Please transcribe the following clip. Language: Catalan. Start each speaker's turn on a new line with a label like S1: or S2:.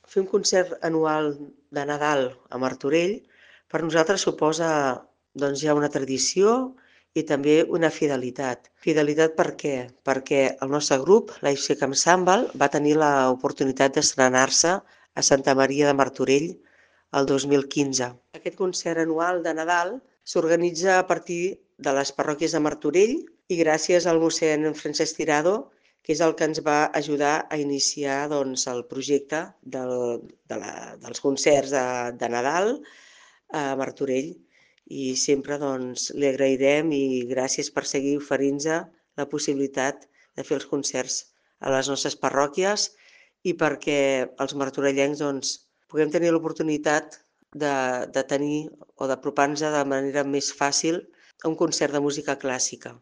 S1: Fer un concert anual de Nadal a Martorell per nosaltres suposa ja una tradició i també una fidelitat. Fidelitat per què? Perquè el nostre grup, l'AFC Camp Sambal, va tenir l'oportunitat d'estrenar-se a Santa Maria de Martorell el 2015. Aquest concert anual de Nadal s'organitza a partir de les parròquies de Martorell i gràcies al mossèn Francesc Tirado, que és el que ens va ajudar a iniciar el projecte dels concerts de Nadal a Martorell. I sempre li agrairem i gràcies per seguir oferint-nos la possibilitat de fer els concerts a les nostres parròquies i perquè els martorellencs puguem tenir l'oportunitat de tenir o d'apropar-nos de manera més fàcil a un concert de música clàssica.